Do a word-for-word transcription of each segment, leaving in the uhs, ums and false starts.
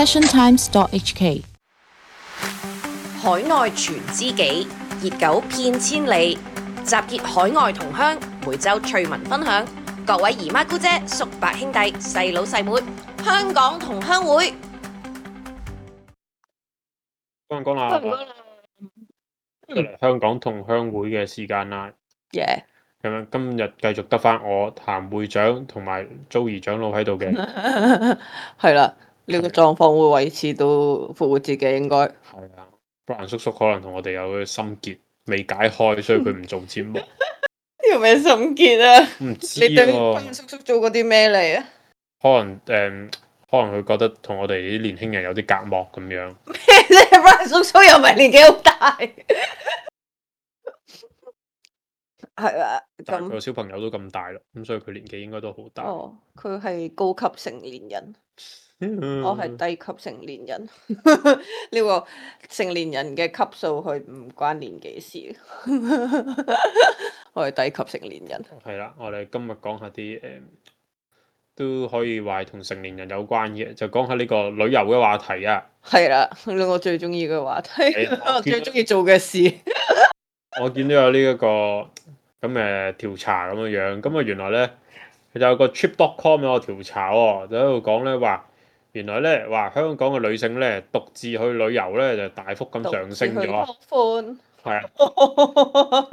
passiontimes dot h k。 海內存知己，熱狗遍千里。集結海外同鄉，每週趣聞分享。各位姨媽姑姐、叔伯兄弟、細佬細妹，香港同鄉會。講講啦，出嚟香港同鄉會嘅時間啦。耶！咁樣今日繼續得翻我譚會長同埋 Joey 長老喺度嘅。係啦，呢個狀況會維持到復活節嘅應該。係啊，Brian 叔叔可能同我哋有個心結未解開，所以佢唔做節目。呢個咩心結啊？唔知你對喎， Brian 叔叔做過啲咩嚟啊？可能誒，可能佢覺得同我哋啲年輕人有啲隔膜咁樣。你 Brian 叔叔又唔係年紀好大，係啊，但係佢咁個小朋友都咁大啦，咁所以佢年紀應該都好大。哦，佢係高級成年人，我係低級成年人。呢個成年人嘅級數，佢唔關年紀事。我係低級成年人。係啦，我哋今日講下啲誒、都可以話係同成年人有關嘅，就講下呢個旅遊嘅話題啊。係啦，我最中意嘅話題，係啊我最中意做嘅事。我見到有呢、一個咁嘅調查咁樣樣，咁啊原來咧佢就有個 trip dot com 有個調查喎，就喺度講咧話，原來咧話香港嘅女性咧獨自去旅遊咧就大幅咁上升咗啊。寬係啊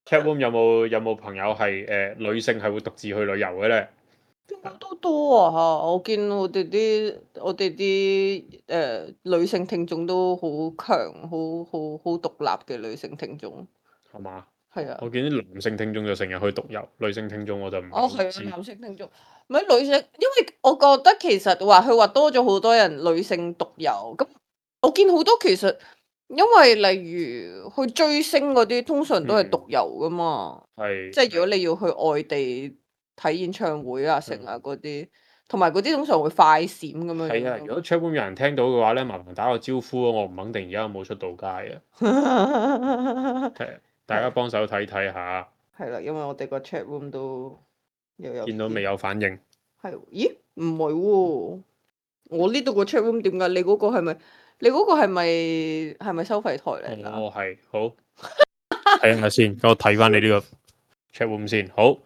，Chatroom 有冇有冇朋友係誒、呃女性係會獨自去旅遊嘅咧？應該都多啊嚇！我見我哋啲我哋啲誒女性聽眾都好強，好好好獨立嘅女性聽眾。係嘛？係啊，我見啲男性聽眾就成日去獨遊，女性聽眾我就唔係哦好知係啊，男性聽眾，唔係女性，因為我覺得其實話佢話多咗好多人女性獨遊，咁我見好多其實因為例如去追星嗰啲，通常都係獨遊噶嘛，係即係如果你要去外地睇演唱會啊、成啊嗰啲，同埋嗰啲通常會快閃咁樣係啊！樣如果 Chatroom 有人聽到嘅話咧，麻煩打個招呼啊！我唔肯定而家有冇出到街啊。係啊，大家幫手睇睇下，係啦，因為我哋個 chat room 都又有見到未有反應？係，咦？唔係喎，我呢度個 chat room 點解？你嗰個係咪？你嗰個係咪係咪收費台嚟㗎？哦，係好睇下先，等我睇翻你呢個 Chatroom 先。好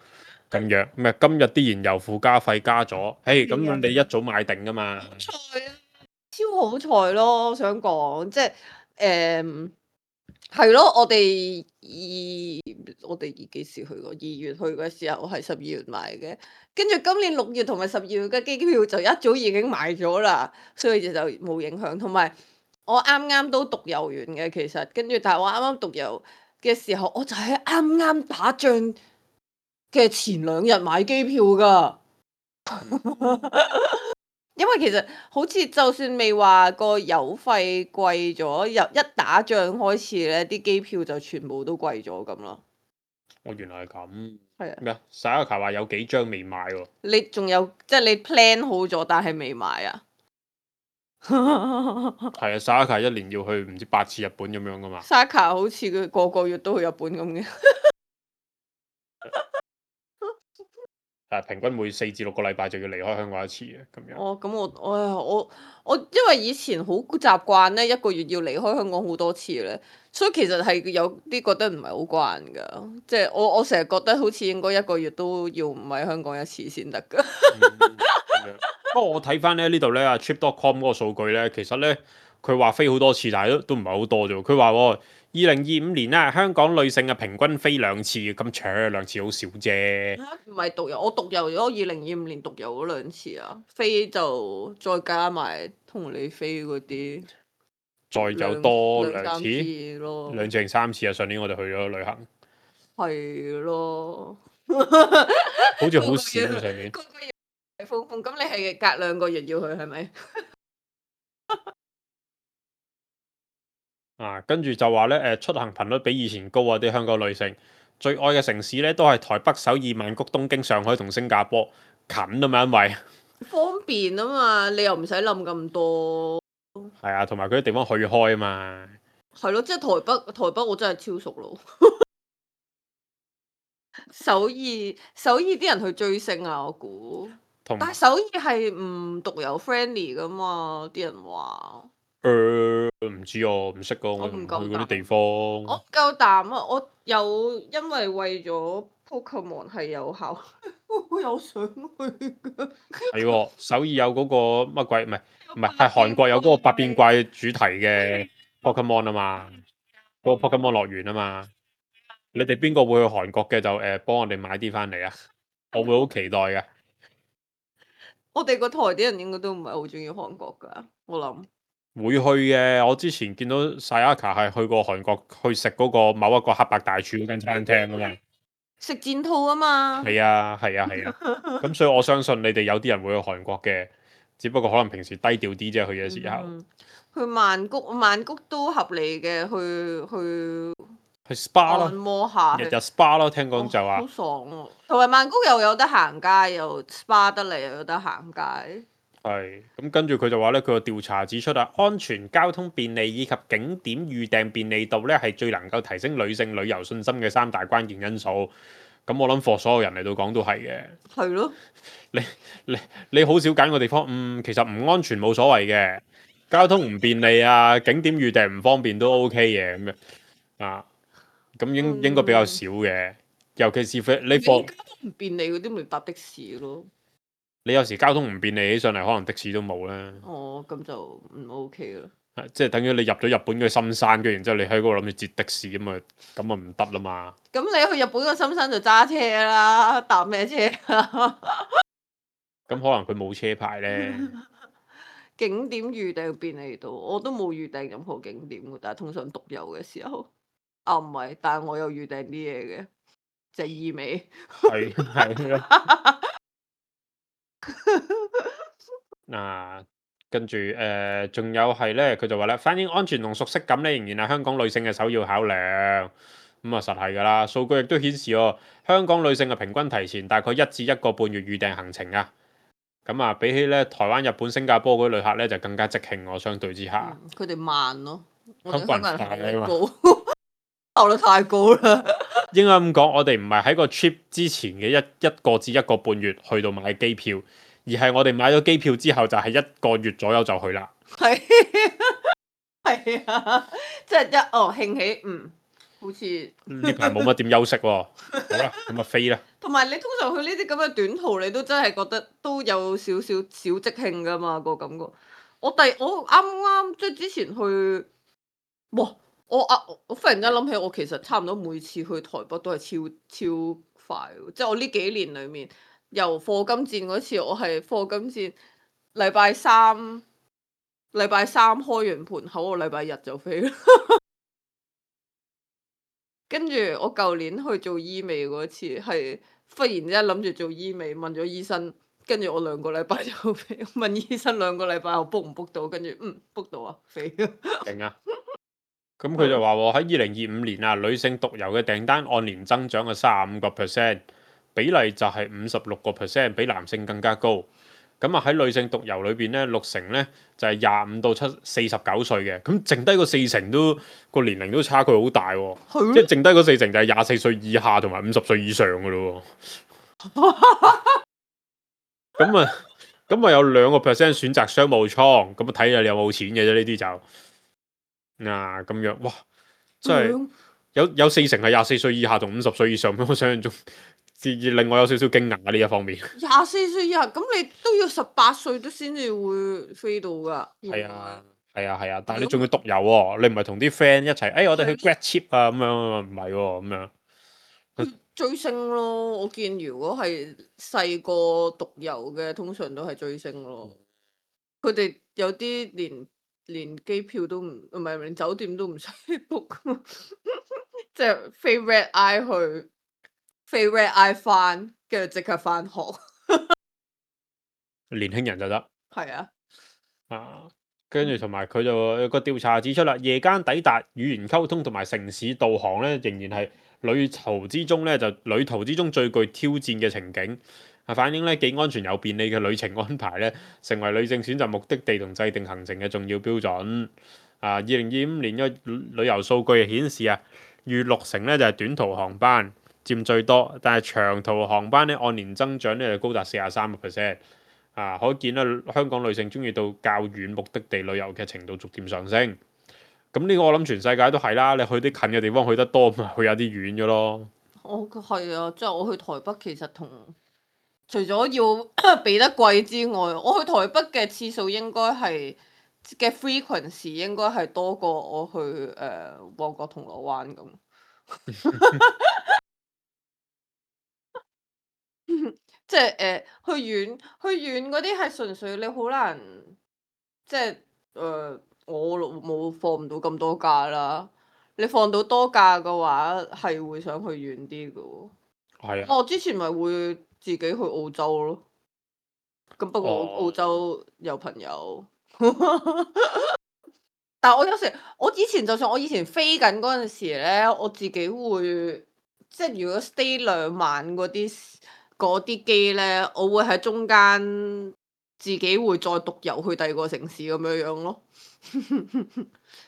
咁樣咩？今日啲燃油附加費加咗，誒咁你一早買定噶嘛？彩啊！超好彩咯！我想講，即係誒係咯，我哋二我哋二幾時去過？二月去嘅時候係十二月買嘅，跟住今年六月同埋十二月嘅機票就一早已經買咗啦，所以就就冇影響。同埋我啱啱都獨遊完嘅，其實跟住但係我啱啱獨遊嘅時候，我就係啱啱打仗嘅前兩日買機票㗎。因為其實好似就算未話個油費貴咗，由一打仗開始咧，啲機票就全部都貴咗咁咯。我原來係咁。係啊，咩啊？沙一卡話有幾張未買喎。你仲有即係你 plan 好咗，但係未買啊？係啊，沙一卡一年要去唔知八次日本咁樣噶嘛。沙卡好似佢個個月都去日本咁嘅。誒，平均每四至六個禮拜就要離開香港一次嘅咁樣。哦，咁我我我我因為以前好習慣咧，一個月要離開香港好多次咧，所以其實係有啲覺得唔係好慣噶。即係我我成日覺得好似應該一個月都要唔喺香港一次先得噶。嗯咁樣不過我睇翻咧呢度咧啊 trip dot com 嗰個數據咧，其實咧佢話飛好多次，但係都都唔係好多啫喎。佢話喎，二零二五年咧，香港女性啊平均飛兩次，咁長兩次好少啫。唔係獨遊，我獨遊咗二零二五年獨遊咗兩次啊，飛就再加埋同你飛嗰啲，再有多兩三兩次，次咯，兩次定三次啊！上年我哋去咗旅行，係咯，好似好少啊上年。個個月係瘋瘋，咁你係隔兩個月要去係咪？啊，跟住就話咧，誒出行頻率比以前高啊！啲香港女性最愛嘅城市咧，都係台北、首爾、曼谷、東京、上海同新加坡，近啊嘛，因為方便啊嘛，你又唔使諗咁多。係啊，同埋佢啲地方去開啊嘛。係咯，即係台北，台北我真係超熟咯。首爾，首爾啲人去追星啊，我估。同但係首爾係唔獨有 friendly 噶嘛，啲人話。誒唔知我唔識噶，我我唔唔去夠膽嗰啲地方。我唔夠膽啊！我有因為為咗 Pokemon 係有效，我有想去㗎。係喎，首爾有嗰個乜鬼？唔係唔係，係韓國有嗰個百變怪主題嘅 Pokemon 啊嘛，嗰、個 Pokemon 樂園啊嘛。你哋邊個會去韓國嘅就誒、呃、幫我哋買啲翻嚟啊！我會好期待嘅。我哋個台啲人應該都唔係好中意韓國㗎，我諗。會去嘅，我之前見到 Sayaka 係去過韓國去食嗰個某一個黑白大廚嗰間餐廳啊嘛。食戰兔啊嘛。係啊係啊係啊，咁所以我相信你哋有啲人會去韓國嘅，只不過可能平時低調啲啫，去嘅時候。嗯去曼谷，曼谷都合理嘅，去去去 SPA 按咯，摩下，日日 SPA 咯，聽講就哦好話。爽喎！同埋曼谷又有得行街，又 SPA 得嚟，又有得行街。係，咁跟住佢就話咧，佢個調查指出啊，安全、交通便利以及景點預訂便利度咧，係最能夠提升女性旅遊信心嘅三大關鍵因素。咁我諗 for 所有人嚟到講都係嘅。係咯。你你你好少揀個地方，嗯，其實唔安全冇所謂嘅，交通唔便利啊，景點預訂唔方便都 OK 嘅咁樣啊。咁應嗯應該比較少嘅，尤其是你你貨交通唔便利嗰啲，咪搭的士咯。你有時交通唔便利起上嚟，可能的士都冇啦。哦，咁就唔 OK 啦。係即係等於你入咗日本嘅深山，跟住然之後你喺嗰度諗住截的士咁啊，咁啊唔得啦嘛。咁你去日本嘅深山就揸車啦，搭咩車啊？咁可能佢冇車牌咧。景點預訂便利度，我都冇預訂任何景點嘅，但係通常獨遊嘅時候，啊唔係，但係我有預訂啲嘢嘅，就係醫美。係係咯。嗱，跟住誒，仲有係咧，佢就話咧，反映安全同熟悉感咧，仍然係香港女性嘅首要考量。咁啊，實係㗎啦。數據亦都顯示喎，香港女性嘅平均提前大概一至一個半月預訂行程啊。咁啊，比起咧台灣、日本、新加坡嗰啲旅客咧，就更加即興喎。相對之下，嗯佢哋慢咯，我哋香香港人快啊嘛港人效率高，效率太高啦。應該咁講，我哋唔係喺個 trip 之前嘅一一個至一個半月去到買機票，而係我哋買咗機票之後就係一個月左右就去啦。係係啊，即係一哦興起，嗯，好似呢排冇乜點休息喎。好啦，咁啊飛啦。同埋你通常去呢啲咁嘅短途，你都真係覺得都有少少小即興噶嘛個感覺。我第我啱啱即係之前去，哇！我啊我忽然間諗起，我其實差唔多每次去台北都係超超快喎，即係我呢幾年裡面，由課金戰嗰次，我係課金戰禮拜三禮拜三開完盤口，我禮拜日就飛啦。跟住我舊年去做醫美嗰次，係忽然之間諗住做醫美，問咗醫生，跟住我兩個禮拜就飛。問醫生兩個禮拜後 book 唔 book 到，跟住嗯 book 到啊，飛。勁啊！咁佢就話喎，喺二零二五年啊，女性獨遊嘅訂單按年增長嘅三十五個 percent，比例就係五十六個 percent，比男性更加高。咁啊喺女性獨遊裏邊咧，六成咧就係廿五到七四十九歲嘅，咁剩低個四成都個年齡都差距好大喎。係即係剩低嗰四成就係廿四歲以下同埋五十歲以上嘅咯喎。咁啊，咁啊有兩個 percent 選擇商務艙，咁啊睇下你有冇錢嘅啫，呢啲就。嗱咁樣，哇！真係有有四成係廿四歲以下同五十歲以上，咁我想象中，令我有少少驚訝呢一方面。廿四歲以下，咁你都要十八歲都先至會飛到㗎。係啊，係啊，係啊，但係你仲要獨遊喎，你唔係同啲 friend 一齊，誒、哎、我哋去 grad trip 啊咁樣，唔係喎咁樣。追星咯，我見如果係細個獨遊嘅，通常都係追星咯。佢哋有啲連連機票都唔，唔係連酒店都唔使 book，即係飛 red eye 去，飛 red eye 翻，跟住即刻翻學。年輕人就得。係啊。啊，跟住同埋佢就有個調查指出啦，夜間抵達語言溝通同埋城市導航咧，仍然係旅途之中咧就旅途之中最具挑戰嘅情景。啊，反映咧既安全又便利嘅旅程安排咧，成為女性選擇目的地同制定行程嘅重要標準。啊，二零二五年嘅旅遊數據顯示啊，逾六成咧就係短途航班佔最多，但係長途航班咧按年增長咧就高達四十三個 percent。啊，可見啦，香港女性中意到較遠目的地旅遊嘅程度逐漸上升。咁呢個我諗全世界都係啦，你去啲近嘅地方去得多，咪去有啲遠嘅咯。我係啊，即係我去台北其實同除咗要俾得貴之外，我去台北嘅次數應該係嘅 frequency 應該係多過我去誒、呃、旺角銅鑼灣咁。即係誒、呃、去遠去遠嗰啲係純粹你好難，即係誒、呃、我冇放唔到咁多假啦。你放到多假嘅話，係會想去遠啲嘅喎。係啊，我之前咪會自己去澳洲咯。咁不過澳哦澳洲有朋友，但係我有時我以前就算我以前飛緊嗰陣時咧，我自己會即係如果 stay 兩晚嗰啲嗰啲機咧，我會喺中間自己會再獨遊去第二個城市咁樣樣咯。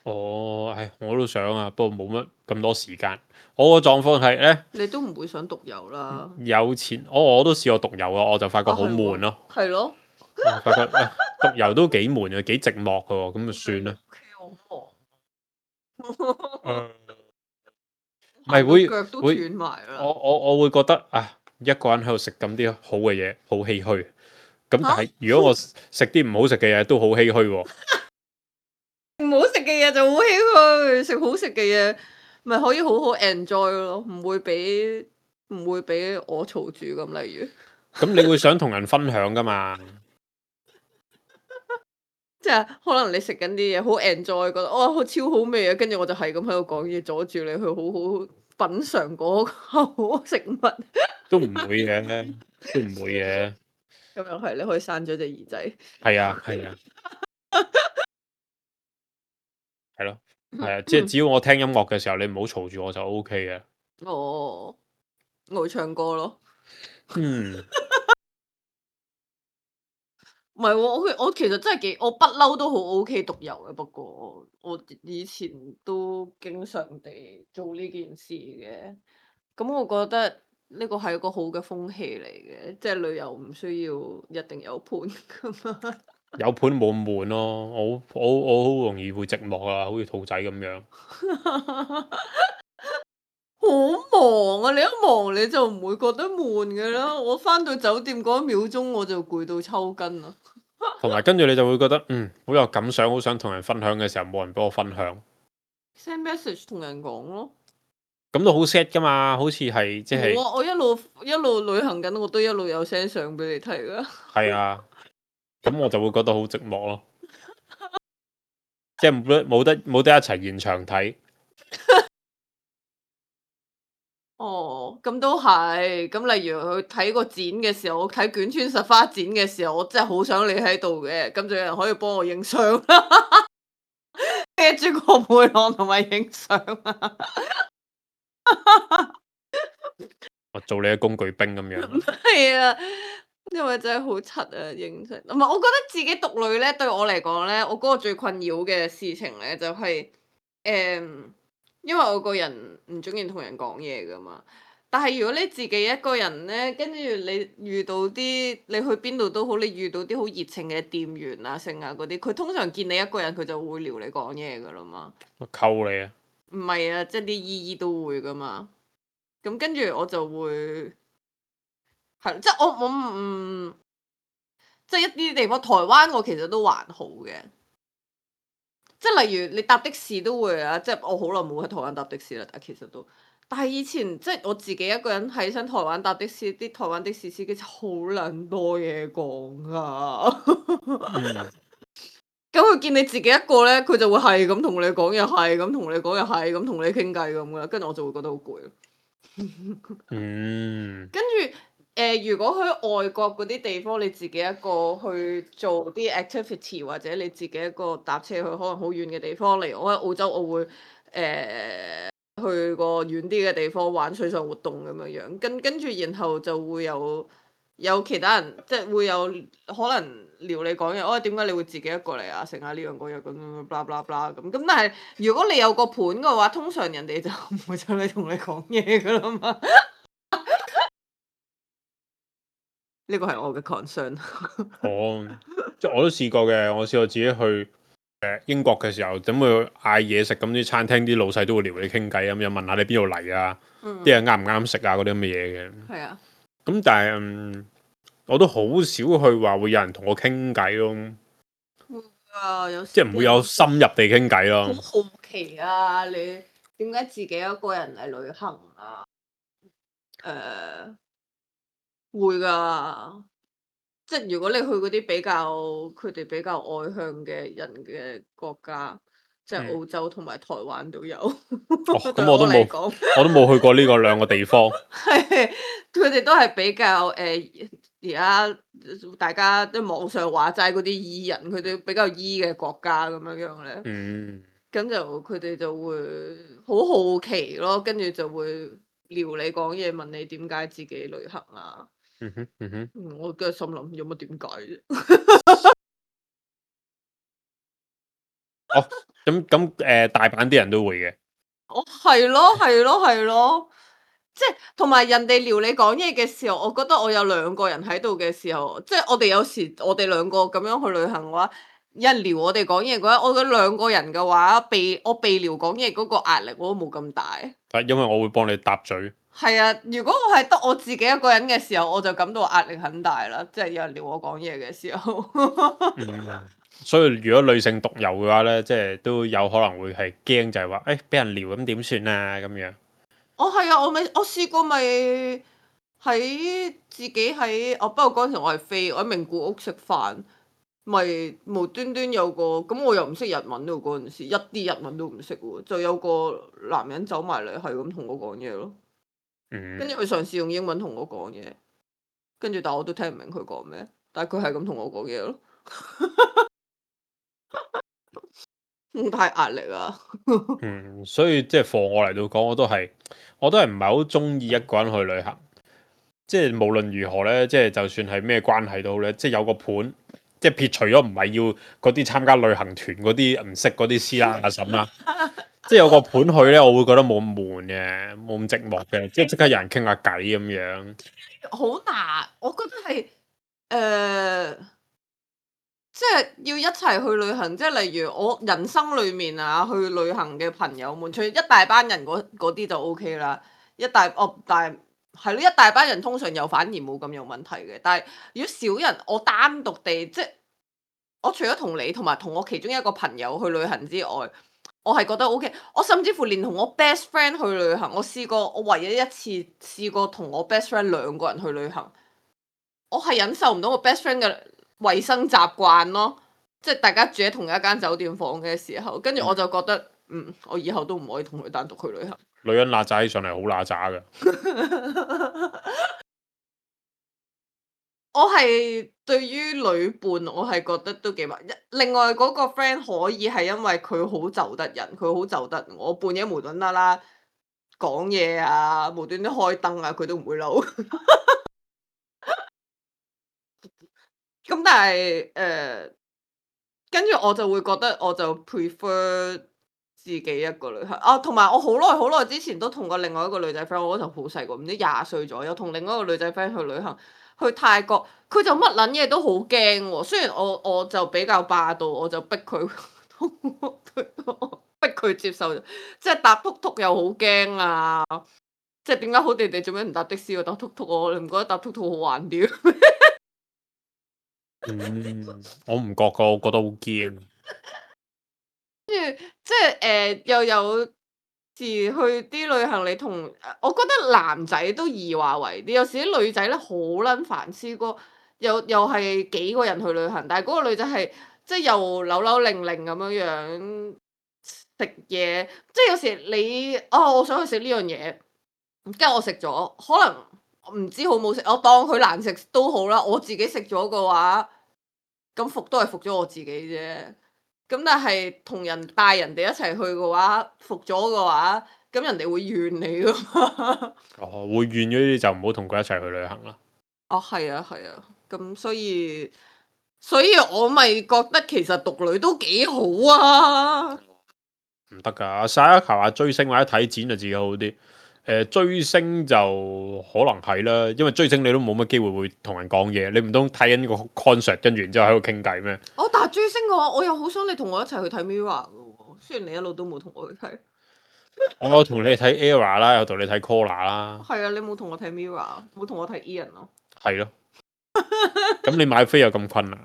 哦，唉，我都想啊，不過冇乜咁多時間。我個狀況係咧，你都唔會想獨遊啦。有錢，我我都試過獨遊啊，我就發覺好啊係喎悶咯。係咯。我發覺啊獨遊都幾悶啊，幾寂寞嘅喎，咁就算啦。 O K，好忙。唔係會腳都會斷埋啦。我我我會覺得啊，一個人喺度食咁啲好嘅嘢，好唏噓。咁但係如果我食啲唔好食嘅嘢，都好唏噓喎。唔好食嘅嘢就好唏噓，食好食嘅嘢咪可以好好 enjoy 咯，唔會俾唔會俾我嘈住咁。例如，咁你會想同人分享噶嘛？即係可能你食緊啲嘢好 enjoy，覺得哇好超好味啊，跟住我就係咁喺度講嘢，阻住你去好好品嚐嗰口食物。都唔會嘅，都唔會嘅。咁又係，你可以閂咗隻耳仔。係啊，係啊，係咯，係啊，即係只要我聽音樂嘅時候，你唔好嘈住我就 O K 嘅。哦，我會唱歌咯。嗯，唔係喎，我我其實真係幾，我不嬲都好 O K 獨遊嘅。不過我以前都經常地做呢件事嘅。咁我覺得呢個係一個好嘅風氣嚟嘅，即係旅遊唔需要一定有伴噶嘛。有伴冇咁悶咯，我我我好容易會寂寞啊，好似兔仔咁樣。好忙啊！你一忙你就唔會覺得悶嘅啦。我翻到酒店嗰一秒鐘我就攰到抽筋啦。同埋跟住你就會覺得嗯好有感想，好想同人分享嘅時候，冇人幫我分享， send message 同人講咯。咁都好 sad 噶嘛，好似係即係冇啊！我一路一路旅行緊，我都一路有 send 相俾你睇噶。係啊，咁我就會覺得好寂寞咯，即係冇得冇得冇得一齊現場睇。哦，咁都係。咁例如去睇個展嘅時候，我睇卷川實花展嘅時候，我真係好想你喺度嘅。咁就有人可以幫我影相啦，孭住個背囊同埋影相啊！我做你嘅工具兵咁樣。係啊，因為真係好柒啊，影相。唔係，我覺得自己獨旅咧，對我嚟講咧，我嗰個最困擾嘅事情咧，就係、誒、因為我個人唔中意同人講嘢噶嘛。但係如果你自己一個人咧，跟住你遇到啲你去邊度都好，你遇到啲好熱情嘅店員啊、剩啊嗰啲，佢通常見你一個人，佢就會撩你講嘢噶啦嘛。我溝你啊！唔係啊，即係啲姨姨都會噶嘛。咁跟住我就會係即係我我唔即係一啲地方，台灣我其實都還好嘅。即係例如你搭的士都會啊，即係我好耐冇喺台灣搭的士啦，但係其實都，但係以前即係我自己一個人喺新台灣搭的士，啲台灣的士司機真係好撚多嘢講啊！嗯，咁佢見你自己一個咧，佢就會係咁同你講嘢，係咁同你講嘢，係咁同你傾偈咁噶啦，跟住我就會覺得好攰。嗯，跟住誒，如果去外國嗰啲地方，你自己一個去做啲 activity，或者你自己一個搭車去可能好遠嘅地方，例如我喺澳洲，我會誒、呃、去個遠啲嘅地方玩水上活動咁樣樣，跟跟住然後就會有有其他人，即係會有可能撩你講嘢，哦點解你會自己一個嚟啊？成下呢樣嗰樣咁樣，blah blah blah 咁咁。但係如果你有個伴嘅話，通常人哋就唔會走嚟同你講嘢噶啦嘛。呢個係我嘅 concern。哦，即係我都試過嘅，我試過自己去誒英國嘅時候，咁去嗌嘢食，咁啲餐廳啲老細都會撩你傾偈，咁又問下你邊度嚟啊，啲嘢啱唔啱食啊嗰啲咁嘅嘢嘅。係啊，咁但係嗯，我都好少去話會有人同我傾偈咯，啊有時即係唔會有深入地傾偈咯。好好奇啊！你點解自己一個人嚟旅行啊？誒、會㗎，即係如果你去嗰啲比較佢哋比較外向嘅人嘅國家，即係嗯澳洲同埋台灣都有。哦，對咁我都冇，嚟講，我都冇去過呢個兩個地方。係佢哋都係比較誒而家大家即係網上話齋嗰啲 E 人，佢哋比較 E 嘅國家咁樣樣咧。嗯，咁就佢哋就會好好奇咯，跟住就會撩你講嘢，問你點解自己旅行啊？嗯哼，嗯哼，嗯，我梗係心諗有乜點解啫？哦，咁咁誒，大阪啲人都會嘅。哦，係咯，係咯，係咯，即係同埋人哋撩你講嘢嘅時候，我覺得我有兩個人喺度嘅時候，即係我哋有時我哋兩個咁樣去旅行嘅話，有人撩我哋講嘢嘅話，我覺得兩個人嘅話，被我被撩講嘢嗰個壓力我都冇咁大。但因為我會幫你搭嘴。係啊，如果我係得我自己一個人嘅時候，我就感到壓力很大啦，即係有人撩我講嘢嘅時候。嗯，所以如果女性獨遊嘅話咧，即係都有可能會係驚，就係話誒俾人撩咁點算啊咁樣。我係啊，我咪我試過咪喺自己喺哦，不過嗰陣時我係飛，我喺名古屋食飯，咪無端端有個咁我又唔識日文喎，嗰陣時一啲日文都唔識喎，就有個男人走埋嚟係咁同我講嘢咯，嗯，跟住佢嘗試用英文同我講嘢，跟住但我都聽唔明佢講咩，但係佢係咁同我講嘢咯。嗯太壓力啊！嗯，所以即係放我嚟到講，我都係我都係唔係好中意一個人去旅行。即係無論如何咧，即係就算係咩關係都好咧，即係有個伴，即係撇除咗唔係要嗰啲參加旅行團嗰啲唔識嗰啲師奶阿嬸啦，即係有個伴去咧，我會覺得冇咁悶嘅，冇咁寂寞嘅，即係即刻有人傾下偈咁樣。好難，我覺得係誒、呃即係要一齊去旅行，即係例如我人生裏面啊，去旅行嘅朋友們，除咗一大班人嗰嗰啲就 O K 啦，一大哦，但係係咯，一大班人通常又反而冇咁有問題嘅，但係如果少人，我單獨地即係我除咗同你同埋同我其中一個朋友去旅行之外，我係覺得 O K，我甚至乎連同我 best friend 去旅行，我試過我唯一一次試過同我 best friend 兩個人去旅行，我係忍受唔到我 best friend 嘅衞生習慣咯，即係大家住喺同一間酒店房嘅時候，跟住我就覺得，嗯，我以後都唔可以同佢單獨去旅行。女人揦渣起上嚟好揦渣㗎。我係對於旅伴，我係覺得都幾麻。另外嗰個 friend 可以係因為佢好就得人，佢好就得我，半夜無端啦啦講嘢啊，無端端開燈啊，佢都唔會嬲。咁但係誒。呃跟住我就會覺得我就 prefer 自己一個旅行啊，同埋我好耐好耐之前都同過另外一個女仔 friend，我嗰陣好細個，唔知廿歲左右，同另外一個女仔 friend 去旅行，去泰國，佢就乜撚嘢都好驚喎。雖然我我就比較霸道，我就逼佢逼佢接受，即係搭突突又好驚啊！即係點解好地地做咩唔搭的士，我搭突突我？你唔覺得搭突突好玩啲？嗯，我唔覺噶，我覺得好驚。跟住即係誒、呃，又有時去啲旅行，你同我覺得男仔都易話為啲，有時啲女仔咧好撚煩。試過又又係幾個人去旅行，但係嗰個女仔係即係又扭扭擰擰咁樣樣食嘢，即係有時你哦，我想去食呢樣嘢，跟住我食咗，可能唔知好唔好食，我當佢難食都好啦。我自己食咗嘅話，咁服都係服咗我自己啫。咁但係同人帶人哋一齊去嘅話，服咗嘅話，咁人哋會怨你噶嘛？哦，會怨咗呢啲就唔好同佢一齊去旅行啦。哦，係啊，係啊，咁所以所以我咪覺得其實獨旅都幾好啊！唔得㗎，晒一球話追星或者睇展就自己好啲。誒追星就可能係啦，因為追星你都冇乜機會會同人講嘢，你唔通睇緊個 concert 跟住然之後喺度傾偈咩？哦，但係追星嘅話，我又好想你同我一齊去睇 Mirror 嘅喎，雖然你一路都冇同我去睇。我同你睇 Era 啦，有同你睇 Collar 啦，係啊，你冇同我睇 Mirror，冇同我睇 Ian 咯。係咯。咁你買飛又咁困難，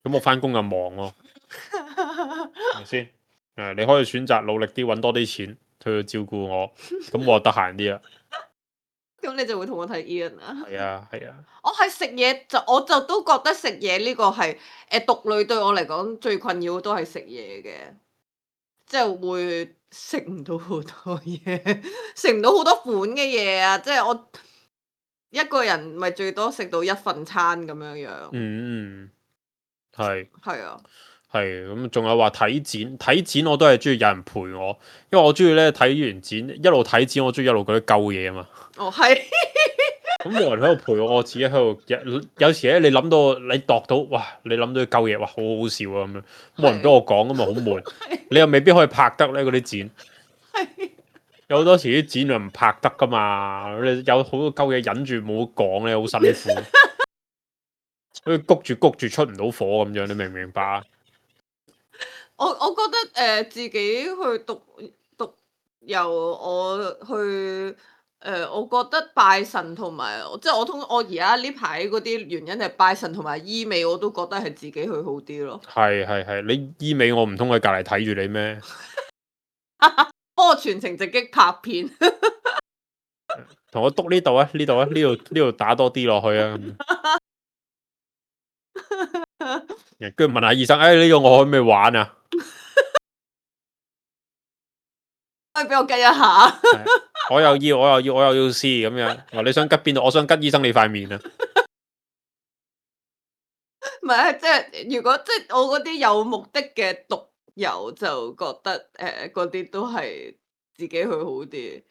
咁我翻工又忙喎，係咪先？誒，你可以選擇努力啲揾多啲錢去照顧我，咁我就得閒啲啦。咁你就會同我睇 Ian 啊？係啊，係啊。我係食嘢就我就都覺得食嘢呢個係誒獨女對我嚟講最困擾都係食嘢嘅，即係會食唔到好多嘢，食唔到好多款嘅嘢啊！即係我一個人咪最多食到一份餐咁樣樣。嗯，係係啊，係咁，仲有話睇展，睇展我都係中意有人陪我，因為我中意咧睇完展一路睇展，我中意一路覺得鳩嘢啊嘛。哦係，咁冇人喺度陪我，我自己喺度有有時咧，你諗到你度到哇，你諗到啲鳩嘢，哇，好好笑啊咁樣，冇人俾我講咁咪好悶，你又未必可以拍得咧嗰啲展。係有好多時啲展又唔拍得噶嘛，你有好多鳩嘢忍住冇講咧，好辛苦，好似谷住谷住出唔到火咁樣，你明唔明白啊？我我覺得誒、呃、自己去讀讀由我去誒、呃，我覺得拜神同埋即係我通我而家呢排嗰啲原因係拜神同埋醫美，我都覺得係自己去好啲咯。係係係，你醫美我唔通喺隔離睇住你咩？幫我全程直擊拍片，同我督呢度啊，呢度啊，呢度呢度打多啲落去啊！跟住問下醫生，誒、哎、呢、呢個我可唔可以玩啊？可以俾我計一下。我又要，我又要，我又要試咁樣。話你想吉邊度？我想吉醫生你塊面啊！唔係，即係如果即係我嗰啲有目的嘅獨遊，就覺得誒嗰啲都係自己去好啲。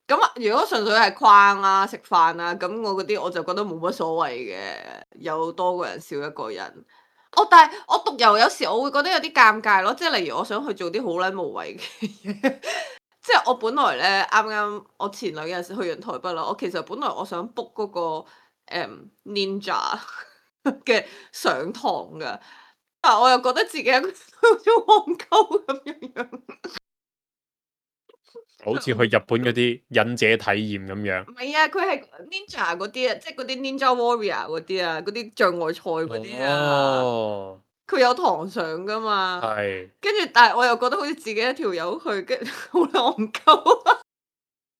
咁啊，如果純粹係逛啊、食飯啊，咁我嗰啲我就覺得冇乜所謂嘅，有多個人少一個人。哦，但係我獨遊有時我會覺得有啲尷尬咯，即係例如我想去做啲好撚無謂嘅嘢，即係我本來咧啱啱我前兩日去完台北啦，我其實本來我想 book 嗰個、嗯、Ninja 嘅上堂㗎，但係我又覺得自己一個好似戇鳩咁樣樣。好似去日本嗰啲忍者體驗咁樣。唔係啊，佢係 Ninja 嗰啲啊，即係嗰啲 Ninja Warrior 嗰啲啊，嗰啲障礙賽嗰啲啊，哦，佢有堂上噶嘛。係。跟住，但係我又覺得好似自己一條友去，跟住好戇鳩。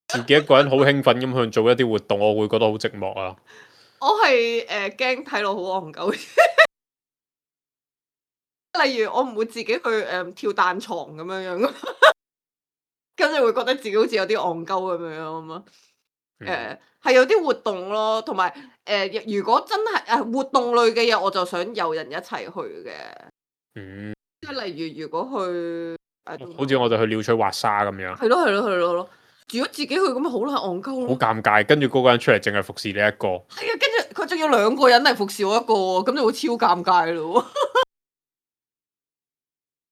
自己一個人好興奮咁去做一啲活動，我會覺得好寂寞啊！我係誒驚睇落好戇鳩。例如我唔會自己去誒、呃、跳彈床咁樣樣，跟住會覺得自己好似有啲戇鳩咁樣樣啊嘛。誒、呃、係有啲活動咯，同埋誒如果真係誒活動類嘅嘢，我就想有人一齊去嘅。嗯，即係例如如果去誒，好似我哋去鳥取滑沙咁樣。係咯係咯係咯咯。如果自己去咁咪好撚戇鳩好咯。尷尬，跟住嗰個人出嚟淨係服侍你一個。係啊，跟住佢仲要兩個人嚟服侍我一個喎，咁就會超尷尬咯。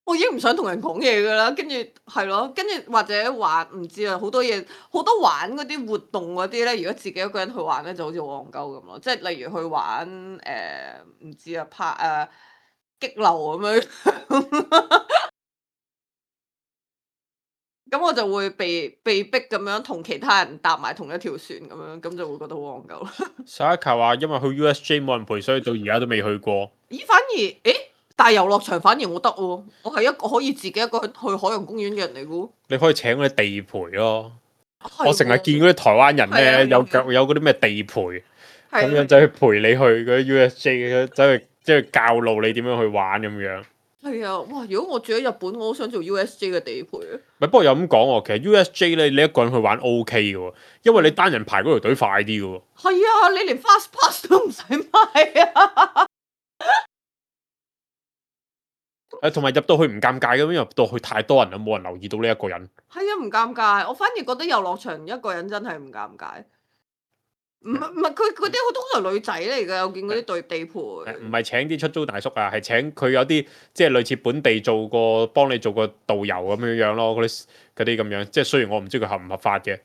我已經唔想同人講嘢噶啦，跟住係咯，跟住或者玩唔知啊，好多嘢好多玩嗰啲活動嗰啲咧，如果自己一個人去玩咧，就好似好戇鳩咁咯。即係例如去玩誒唔、呃、知啊拍誒、呃、激流咁樣，咁我就會被被逼咁樣同其他人搭埋同一條船咁樣，咁就會覺得好戇鳩啦。Saka 話因為去 U S J 冇人陪，所以到而家都未去過。咦？反而誒？大遊樂場反而我得喎，我係一個可以自己一個去海洋公園嘅人嚟嘅喎。你可以請嗰啲地陪咯。係我成日喎見嗰啲台灣人係啊咧，有係啊有嗰啲咩地陪，咁係啊樣走去陪你去嗰啲 U S J，走去即係教路你點樣去玩咁樣。係啊，哇！如果我住喺日本，我好想做 U S J 嘅地陪啊。咪不過又咁講喎，其實 U S J 咧，你一個人去玩 O K 嘅喎，因為你單人排嗰條隊快啲嘅喎。係啊，你連 fast pass 都唔使買啊。誒，同埋入到去唔尷尬嘅，因為入到去太多人啦，冇人留意到呢一個人。係啊，唔尷尬。我反而覺得遊樂場一個人真係唔尷尬。唔係唔係，佢嗰啲好通常女仔嚟㗎，我見嗰啲對地陪。唔係請啲出租大叔啊，係請佢有啲即係類似本地做過幫你做個導遊咁樣樣咯，嗰啲嗰啲咁樣。即係雖然我唔知佢合唔合法嘅，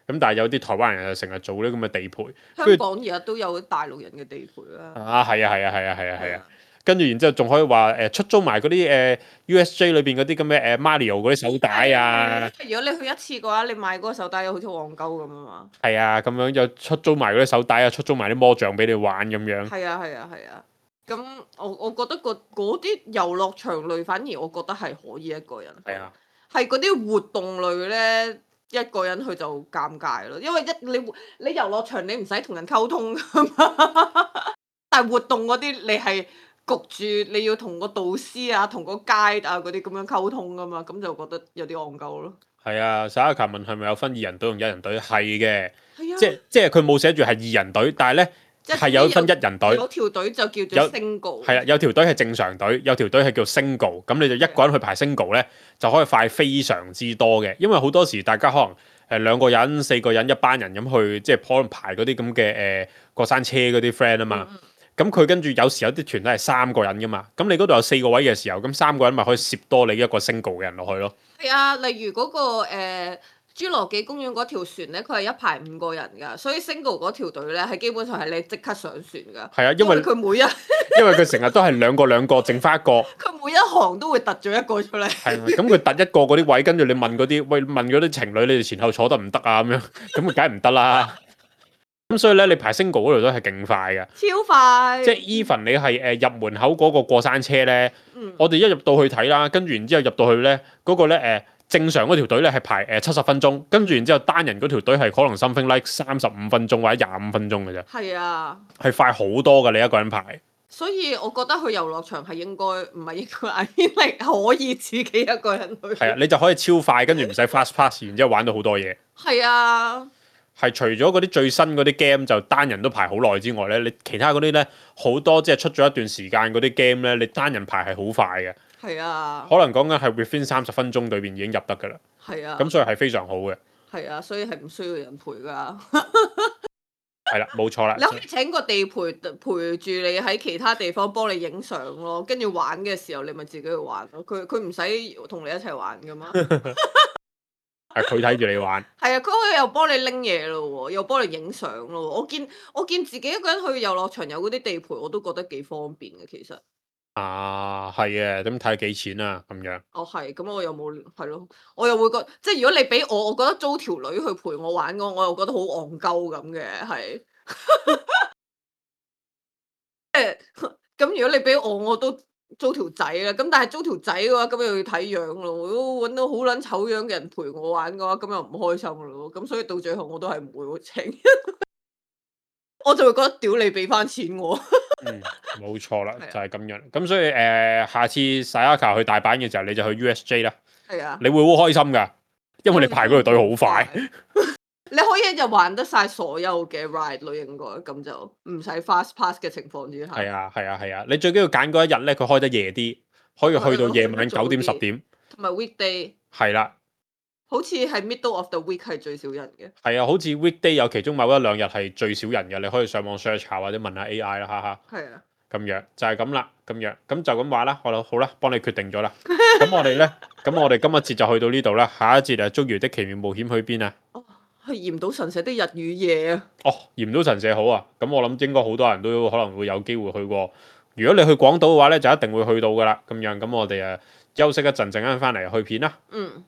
咁但係有啲台灣人就成日做呢咁嘅地陪。香港而家都有大陸人嘅地陪啦。啊，係啊，係啊，係啊，係啊，係啊。跟住然之後仲可以話誒、呃、出租埋嗰啲誒 U S J 裏邊嗰啲咁嘅誒 Mario 嗰啲手帶啊。如果你去一次嘅話，你買嗰個手帶好似戇鳩咁啊嘛。係啊，咁樣又出租埋嗰啲手帶啊，出租埋啲魔杖俾你玩咁樣。係啊，係啊，係啊。咁我我覺得個嗰啲遊樂場類反而我覺得係可以一個人。係啊。係嗰啲活動類咧，一個人去就尷尬咯，因為一你你遊樂場你唔使同人溝通噶嘛，但係活動嗰啲你係焗住你要同個導師啊、同個 guide 啊嗰啲咁樣溝通噶嘛，咁就覺得有啲戇鳩咯。係啊，沙一球問係咪有分二人隊同一人隊？係嘅，係啊，即即係佢冇寫住係二人隊，但係咧係有分一人隊。有條隊就叫做 single。係啊，有條隊係正常隊，有條隊係叫 single。咁你就一個人去排 single 咧，就可以快非常之多嘅。因為好多時大家可能誒兩個人、四個人、一班人咁去，即係可能排嗰啲咁嘅誒過山車嗰啲 friend 啊嘛。嗯咁佢跟住有時有啲團都係三個人噶嘛，咁你嗰度有四個位嘅時候，咁三個人咪可以攝多你一個 single 嘅人落去咯。係啊，例如嗰、個誒、呃、侏羅紀公園嗰條船咧，佢係一排五個人㗎，所以 single 嗰條隊咧係基本上係你即刻上船㗎。係啊，因為佢每一因為佢成日都係兩個兩個，剩翻一個。佢每一行都會突咗一個出嚟。係啊，咁佢突一個嗰啲位，跟住你問嗰啲，喂問嗰啲情侶，你哋前後坐得唔得啊？咁樣，咁佢梗係唔得啦。咁所以咧，你排 single 嗰度都係勁快嘅，超快。即係 even 你係誒入門口嗰個過山車咧，嗯我哋一入到去睇啦，跟住然之後入到去咧，嗰、個咧誒、呃、正常嗰條隊咧係排誒七十分鐘，跟住然之後單人嗰條隊係可能 something like 三十五分鐘或者廿五分鐘嘅啫，係啊，係快好多㗎，你一個人排。所以我覺得去遊樂場係應該唔係應該，I mean like 可以自己一個人去。係啊，你就可以超快，跟住唔使 fast pass，然之後玩到好多嘢。係啊。係除咗嗰啲最新嗰啲 game 就單人都排好耐之外咧，你其他嗰啲咧好多即係出咗一段時間嗰啲 game 咧，你單人排係好快嘅。係啊。可能講緊係 within 三十分鐘裏邊已經入得㗎啦。係啊。咁所以係非常好嘅。係啊，所以係唔需要人陪㗎。係啦，冇錯啦。你可以請個地陪陪住你喺其他地方幫你影相咯，跟住玩嘅時候你咪自己去玩咯。佢佢唔使同你一齊玩㗎嘛。係佢睇住你玩。係啊，佢可以又幫你拎嘢咯喎，又幫你影相咯喎。我見我見自己一個人去遊樂場有嗰啲地陪，我都覺得幾方便嘅其實。啊，係嘅，咁睇幾錢啊咁樣。哦，係，咁我又冇係咯，我又會覺即係如果你俾我，我覺得租條女去陪我玩嘅，我又覺得好戇鳩咁嘅，係。即係咁，如果你俾我，我都租條仔啦。咁但係租條仔嘅話，咁又要睇樣咯。如果揾到好撚醜樣嘅人陪我玩嘅話，咁又唔開心咯。咁所以到最後我都係唔會請。我就會覺得屌你俾翻錢我。嗯，冇錯啦，就係咁樣。咁所以誒、呃，下次 Sayaka 去大阪嘅時候，你就去 U S J 啦。係啊。你會好開心㗎，因為你排嗰條隊好快。你可以就玩得晒所有嘅 ride 咯，應該咁就唔使 fast pass 嘅情況之下。係啊，係啊，係啊！你最緊要揀嗰一日咧，佢開得夜啲，可以去到夜晚九點十點。同埋 weekday。係啦。好似係 middle of the week 係最少人嘅。係啊，好似 weekday 有其中某一兩日係最少人嘅，你可以上網 search 下或者問下 A I 啦，哈哈。係啊。咁樣就係咁啦，咁樣咁就咁話啦，好啦，好啦，幫你決定咗啦。咁我哋咧，咁我哋今日節就去到呢度啦，下一節啊，捉魚的奇妙冒險去邊啊？哦，去嚴島神社的日與夜啊！哦，嚴島神社好啊，咁我諗應該好多人都可能會有機會去過。如果你去廣島嘅話咧，就一定會去到噶啦。咁樣咁我哋誒休息一陣，陣間翻嚟去片啦。嗯。